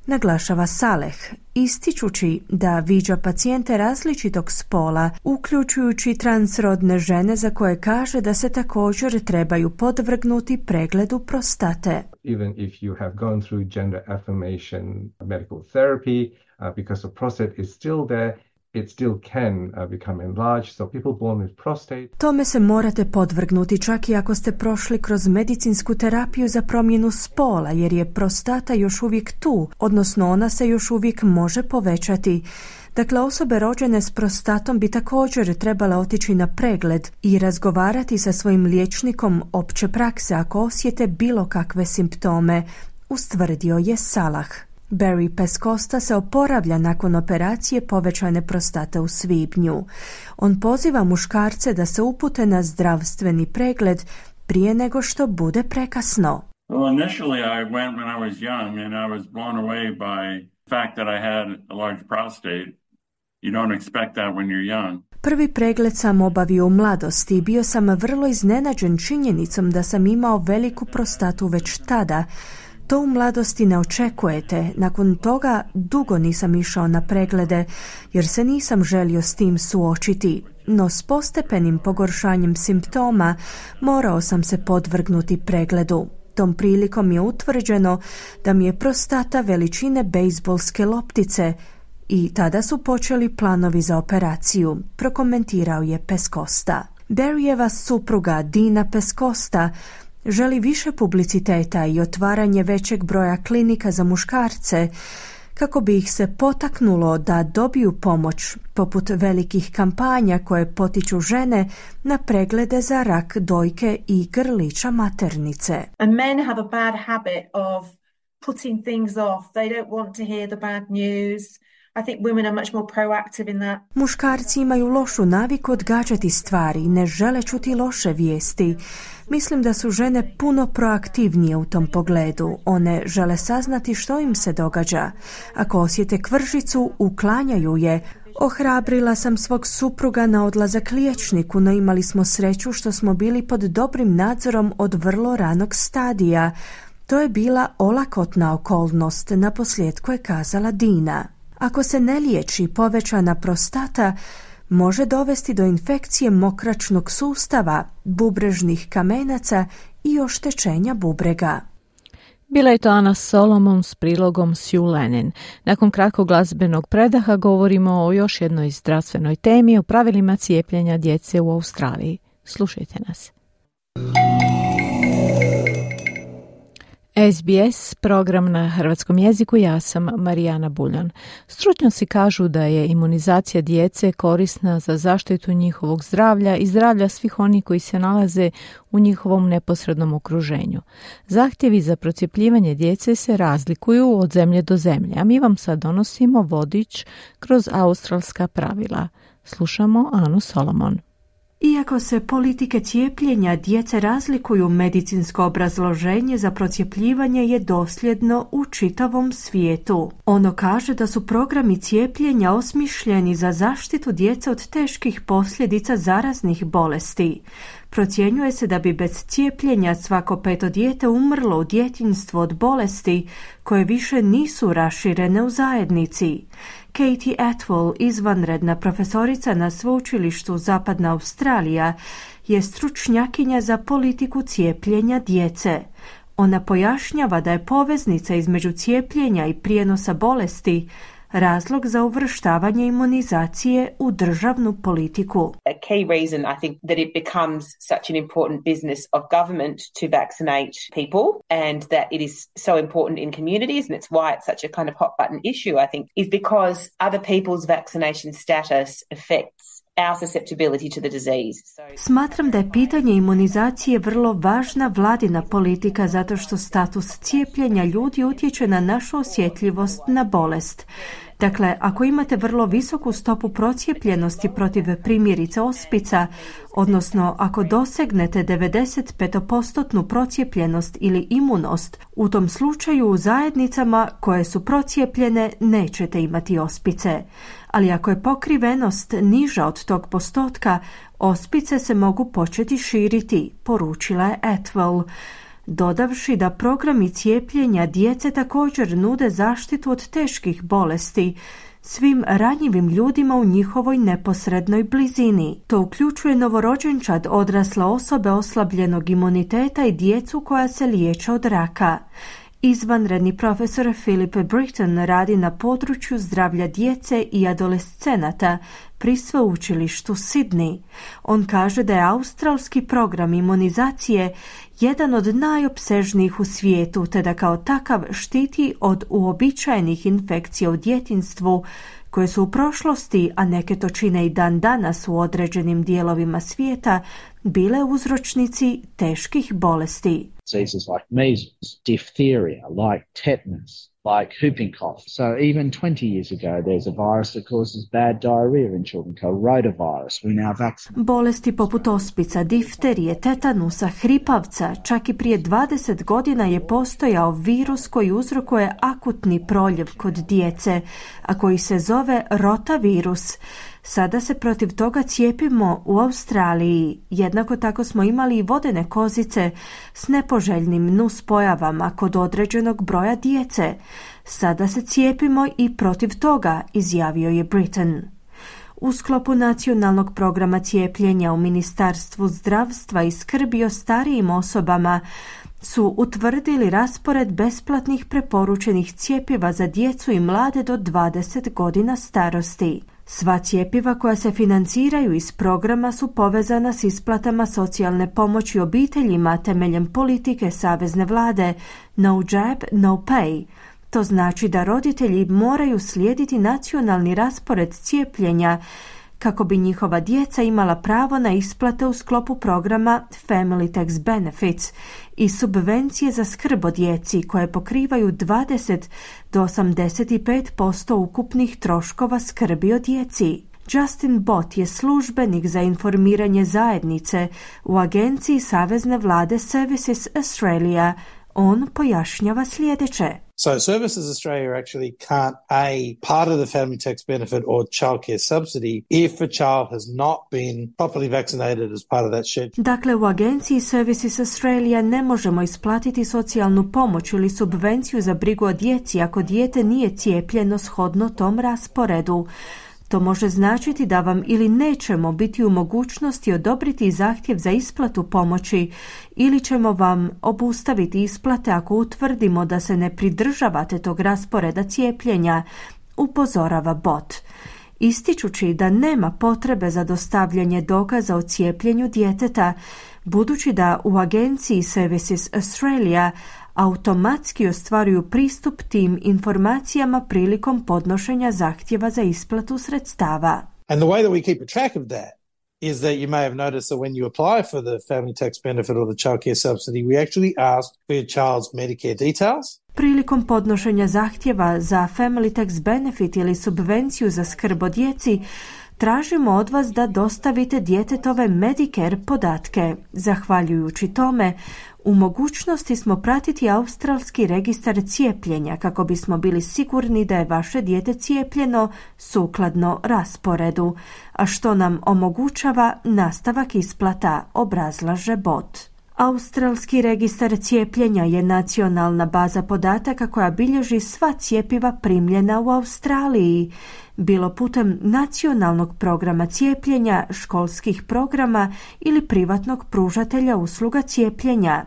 naglašava Saleh, ističući da viđa pacijente različitog spola, uključujući transrodne žene za koje kaže da se također trebaju podvrgnuti pregledu prostate. Even if you have gone through gender affirmation medical therapy, because the prostate is still there, it still can become enlarged, so people born with prostate. Tome se morate podvrgnuti čak i ako ste prošli kroz medicinsku terapiju za promjenu spola, jer je prostata još uvijek tu, odnosno ona se još uvijek može povećati. Dakle, osobe rođene s prostatom bi također trebale otići na pregled i razgovarati sa svojim liječnikom opće prakse ako osjete bilo kakve simptome, ustvrdio je Salah. Barry Pescosta se oporavlja nakon operacije povećane prostate u svibnju. On poziva muškarce da se upute na zdravstveni pregled prije nego što bude prekasno. Well, initially I went when I was young and I was blown away by the fact that I had a large prostate. You don't expect that when you're young. Prvi pregled sam obavio u mladosti i bio sam vrlo iznenađen činjenicom da sam imao veliku prostatu već tada. To u mladosti ne očekujete. Nakon toga dugo nisam išao na preglede jer se nisam želio s tim suočiti. No s postepenim pogoršanjem simptoma morao sam se podvrgnuti pregledu. Tom prilikom je utvrđeno da mi je prostata veličine bejzbolske loptice i tada su počeli planovi za operaciju, prokomentirao je Pescosta. Barryjeva supruga Dina Pescosta želi više publiciteta i otvaranje većeg broja klinika za muškarce kako bi ih se potaknulo da dobiju pomoć, poput velikih kampanja koje potiču žene na preglede za rak dojke i grlića maternice. And men have a bad habit of putting things off. They don't want to hear the bad news. I think women are much more proactive in that. Muškarci imaju lošu naviku odgađati stvari i ne žele čuti loše vijesti. Mislim da su žene puno proaktivnije u tom pogledu. One žele saznati što im se događa. Ako osjete kvržicu, uklanjaju je. Ohrabrila sam svog supruga na odlazak liječniku, no imali smo sreću što smo bili pod dobrim nadzorom od vrlo ranog stadija. To je bila olakotna okolnost, naposljetku je kazala Dina. Ako se ne liječi, povećana prostata može dovesti do infekcije mokračnog sustava, bubrežnih kamenaca i oštećenja bubrega. Bila je to Ana Solomon s prilogom Sue Lennon. Nakon kratkog glazbenog predaha govorimo o još jednoj zdravstvenoj temi, o pravilima cijepljenja djece u Australiji. Slušajte nas. SBS, program na hrvatskom jeziku, ja sam Marijana Buljan. Stručnjaci kažu da je imunizacija djece korisna za zaštitu njihovog zdravlja i zdravlja svih onih koji se nalaze u njihovom neposrednom okruženju. Zahtjevi za procjepljivanje djece se razlikuju od zemlje do zemlje, a mi vam sad donosimo vodič kroz australska pravila. Slušamo Anu Solomon. Iako se politike cijepljenja djece razlikuju, medicinsko obrazloženje za procjepljivanje je dosljedno u čitavom svijetu. Ono kaže da su programi cijepljenja osmišljeni za zaštitu djece od teških posljedica zaraznih bolesti. Procjenjuje se da bi bez cijepljenja svako 5. dijete umrlo u djetinjstvu od bolesti koje više nisu raširene u zajednici. Katie Atwell, izvanredna profesorica na sveučilištu Zapadna Australija, je stručnjakinja za politiku cijepljenja djece. Ona pojašnjava da je poveznica između cijepljenja i prijenosa bolesti razlog za uvrštavanje imunizacije u državnu politiku. A key reason I think that it becomes such an important business of government to vaccinate people and that it is so important in communities, and it's why it's such a kind of hot button issue, I think, is because other people's vaccination status affects our susceptibility to the disease. Smatram da je pitanje imunizacije vrlo važna vladina politika zato što status cijepljenja ljudi utječe na našu osjetljivost na bolest. Dakle, ako imate vrlo visoku stopu procijepljenosti protiv primjerice ospica, odnosno ako dosegnete 95% procijepljenost ili imunost, u tom slučaju u zajednicama koje su procijepljene nećete imati ospice. Ali ako je pokrivenost niža od tog postotka, ospice se mogu početi širiti, poručila je Atwell, dodavši da programi cijepljenja djece također nude zaštitu od teških bolesti svim ranjivim ljudima u njihovoj neposrednoj blizini. To uključuje novorođenčad, odrasle osobe oslabljenog imuniteta i djecu koja se liječe od raka. Izvanredni profesor Philip Britton radi na području zdravlja djece i adolescenata pri sveučilištu Sydney. On kaže da je australski program imunizacije jedan od najopsežnijih u svijetu, te da kao takav štiti od uobičajenih infekcija u djetinjstvu, koje su u prošlosti, a neke to čine i dan danas u određenim dijelovima svijeta, bile uzročnici teških bolesti. Diseases like measles, diphtheria, like tetanus, like whooping cough. So even 20 years ago there's a virus that causes bad diarrhea in children called rotavirus. We now vaccinate. Bolesti poput ospica, difterije, tetanusa, hripavca, čak i prije 20 godina je postojao virus koji uzrokuje akutni proljev kod djece, a koji se zove rotavirus. Sada se protiv toga cijepimo u Australiji. Jednako tako smo imali i vodene kozice s nepoželjnim nuspojavama kod određenog broja djece. Sada se cijepimo i protiv toga, izjavio je Britton. U sklopu nacionalnog programa cijepljenja u Ministarstvu zdravstva i skrbi o starijim osobama su utvrdili raspored besplatnih preporučenih cjepiva za djecu i mlade do 20 godina starosti. Sva cjepiva koja se financiraju iz programa su povezana s isplatama socijalne pomoći obiteljima temeljem politike savezne vlade No Jab, No Pay. To znači da roditelji moraju slijediti nacionalni raspored cijepljenja kako bi njihova djeca imala pravo na isplate u sklopu programa Family Tax Benefits i subvencije za skrb o djeci koje pokrivaju 20 do 85% ukupnih troškova skrbi o djeci. Justin Bott je službenik za informiranje zajednice u agenciji savezne vlade Services Australia. On pojašnjava sljedeće. So Services Australia actually can't part of the family tax benefit or childcare subsidy if a child has not been properly vaccinated as part of that schedule. Dakle, u agenciji Services Australia ne možemo isplatiti socijalnu pomoć ili subvenciju za brigu o djeci ako dijete nije cijepljeno shodno tom rasporedu. To može značiti da vam ili nećemo biti u mogućnosti odobriti zahtjev za isplatu pomoći ili ćemo vam obustaviti isplate ako utvrdimo da se ne pridržavate tog rasporeda cijepljenja, upozorava Bott. Ističući da nema potrebe za dostavljanje dokaza o cijepljenju djeteta, budući da u agenciji Services Australia automatski ostvaruju pristup tim informacijama prilikom podnošenja zahtjeva za isplatu sredstava. And the way that we keep a track of that is that you may have noticed that when you apply for the family tax benefit or the childcare subsidy, we actually ask for your child's Medicare details. Prilikom podnošenja zahtjeva za family tax benefit ili subvenciju za skrb o djeci, tražimo od vas da dostavite djetetove Medicare podatke. Zahvaljujući tome, u mogućnosti smo pratiti australski registar cijepljenja kako bismo bili sigurni da je vaše dijete cijepljeno sukladno rasporedu, a što nam omogućava nastavak isplata, obrazlaže bot. Australski registar cijepljenja je nacionalna baza podataka koja bilježi sva cjepiva primljena u Australiji, bilo putem nacionalnog programa cijepljenja, školskih programa ili privatnog pružatelja usluga cijepljenja.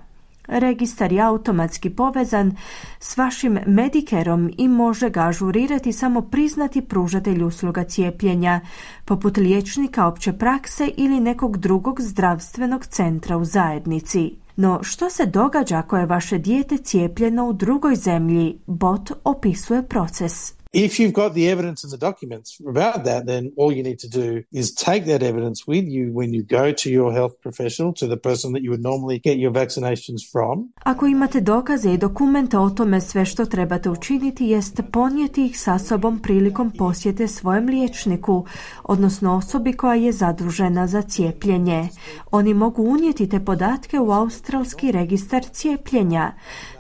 Registar je automatski povezan s vašim Medicareom i može ga ažurirati samo priznati pružatelj usluga cijepljenja, poput liječnika opće prakse ili nekog drugog zdravstvenog centra u zajednici. No, što se događa ako je vaše dijete cijepljeno u drugoj zemlji? Bot opisuje proces. If you've got the evidence and the documents about that, then all you need to do is take that evidence with you when you go to your health professional, to the person that you would normally get your vaccinations from. Ako imate dokaze i dokumente o tome, sve što trebate učiniti jest ponijeti ih sa sobom prilikom posjete svojem liječniku, odnosno osobi koja je zadužena za cijepljenje. Oni mogu unijeti te podatke u australski registar cijepljenja,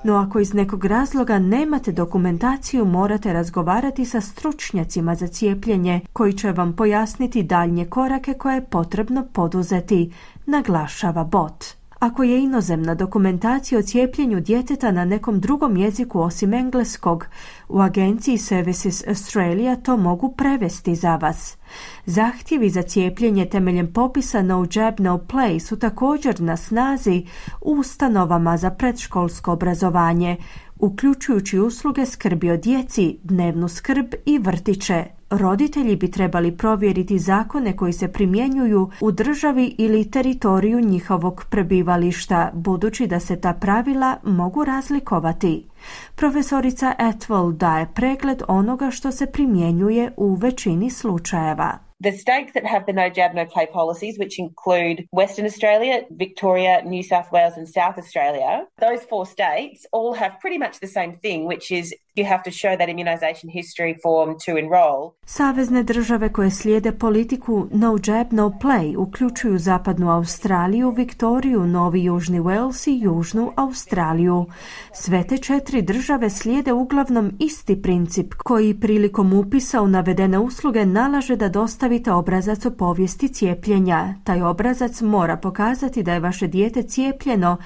no ako iz nekog razloga nemate dokumentaciju, morate razgovarati sa stručnjacima za cijepljenje koji će vam pojasniti daljnje korake koje je potrebno poduzeti, naglašava bot. Ako je inozemna dokumentacija o cijepljenju djeteta na nekom drugom jeziku osim engleskog, u agenciji Services Australia to mogu prevesti za vas. Zahtjevi za cijepljenje temeljem popisa No Jab, No Play su također na snazi u ustanovama za predškolsko obrazovanje, uključujući usluge skrbi o djeci, dnevnu skrb i vrtiće. Roditelji bi trebali provjeriti zakone koji se primjenjuju u državi ili teritoriju njihovog prebivališta, budući da se ta pravila mogu razlikovati. Profesorica Atwell daje pregled onoga što se primjenjuje u većini slučajeva. The states that have the no jab, no play policies, which include Western Australia, Victoria, New South Wales and South Australia, those 4 states all have pretty much the same thing, which is you have to show that immunization history form to enroll. Savezne države koje slijede politiku no jab, no play uključuju Zapadnu Australiju, Viktoriju, Novi Južni Wales i Južnu Australiju. Sve te 4 države slijede uglavnom isti princip koji prilikom upisa u navedene usluge nalaže da dostavite obrazac o povijesti cijepljenja. Taj obrazac mora pokazati da je vaše dijete cijepljeno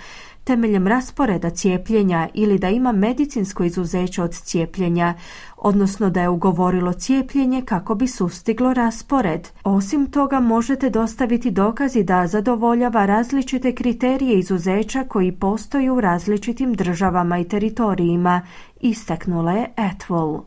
temeljem rasporeda cijepljenja ili da ima medicinsko izuzeće od cijepljenja, odnosno da je ugovorilo cijepljenje kako bi sustiglo raspored. Osim toga, možete dostaviti dokazi da zadovoljava različite kriterije izuzeća koji postoje u različitim državama i teritorijima, istaknula je Atwell.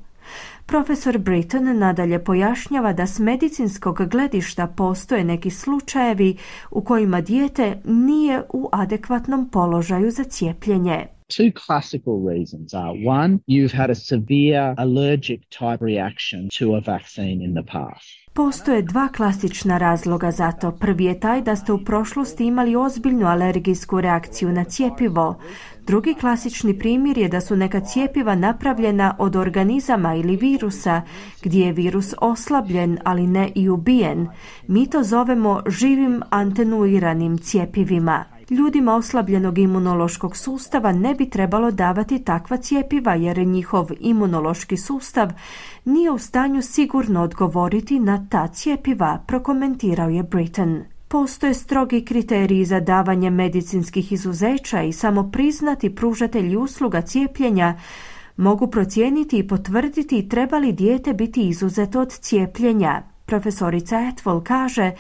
Profesor Britton nadalje pojašnjava da s medicinskog gledišta postoje neki slučajevi u kojima dijete nije u adekvatnom položaju za cijepljenje. Two classical reasons are, one, you've had a severe allergic type reaction to a vaccine in the past. Postoje 2 klasična razloga za to. Prvi je taj da ste u prošlosti imali ozbiljnu alergijsku reakciju na cjepivo. Drugi klasični primjer je da su neka cjepiva napravljena od organizama ili virusa, gdje je virus oslabljen, ali ne i ubijen. Mi to zovemo živim atenuiranim cjepivima. Ljudima oslabljenog imunološkog sustava ne bi trebalo davati takva cjepiva jer njihov imunološki sustav nije u stanju sigurno odgovoriti na ta cjepiva, prokomentirao je Britton. Postoje strogi kriteriji za davanje medicinskih izuzeća i samo priznati pružatelji usluga cijepljenja mogu procijeniti i potvrditi treba li dijete biti izuzeto od cijepljenja. Profesorica Atwell kaže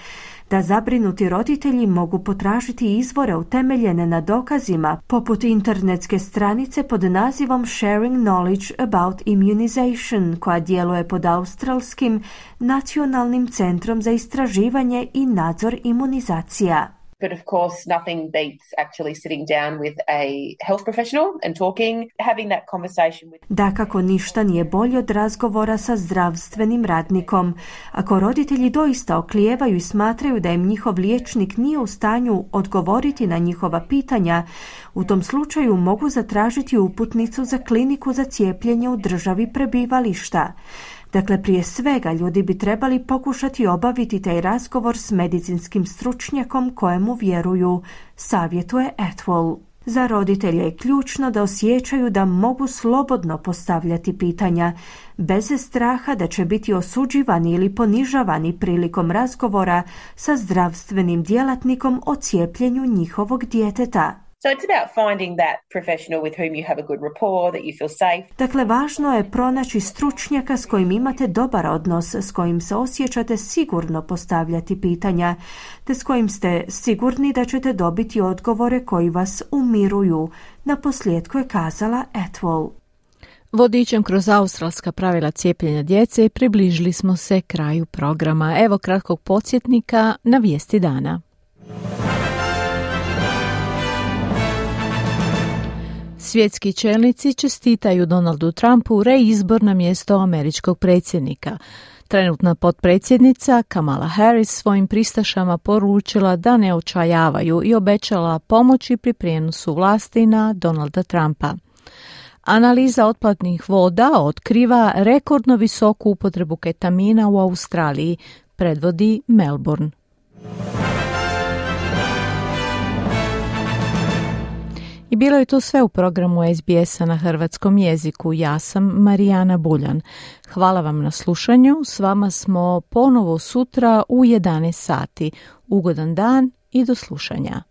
da zabrinuti roditelji mogu potražiti izvore utemeljene na dokazima, poput internetske stranice pod nazivom Sharing Knowledge About Immunization, koja djeluje pod Australskim nacionalnim centrom za istraživanje i nadzor imunizacija. But of course, nothing beats actually sitting down with a health professional and talking, having that conversation with... Dakako, ništa nije bolje od razgovora sa zdravstvenim radnikom. Ako roditelji doista oklijevaju i smatraju da im njihov liječnik nije u stanju odgovoriti na njihova pitanja, u tom slučaju mogu zatražiti uputnicu za kliniku za cijepljenje u državi prebivališta. Dakle, prije svega ljudi bi trebali pokušati obaviti taj razgovor s medicinskim stručnjakom kojemu vjeruju, savjetuje Atwell. Za roditelje je ključno da osjećaju da mogu slobodno postavljati pitanja, bez straha da će biti osuđivani ili ponižavani prilikom razgovora sa zdravstvenim djelatnikom o cijepljenju njihovog djeteta. So it's about finding that professional with whom you have a good rapport, that you feel safe. Dakle, važno je pronaći stručnjaka s kojim imate dobar odnos, s kojim se osjećate sigurno postavljati pitanja, te s kojim ste sigurni da ćete dobiti odgovore koji vas umiruju, naposljetku je kazala Atwell. Vodičem kroz australska pravila cijepljenja djece približili smo se kraju programa. Evo kratkog podsjetnika na vijesti dana. Svjetski čelnici čestitaju Donaldu Trumpu reizbor na mjesto američkog predsjednika. Trenutna potpredsjednica Kamala Harris svojim pristašama poručila da ne očajavaju i obećala pomoći pri prijenosu vlasti na Donalda Trumpa. Analiza otpadnih voda otkriva rekordno visoku upotrebu ketamina u Australiji, predvodi Melbourne. I bilo je to sve u programu SBS-a na hrvatskom jeziku. Ja sam Marijana Buljan. Hvala vam na slušanju. S vama smo ponovo sutra u 11 sati. Ugodan dan i do slušanja.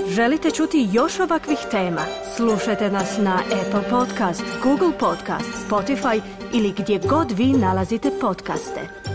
Želite čuti još ovakvih tema? Slušajte nas na Apple Podcast, Google Podcast, Spotify ili gdje god vi nalazite podcaste.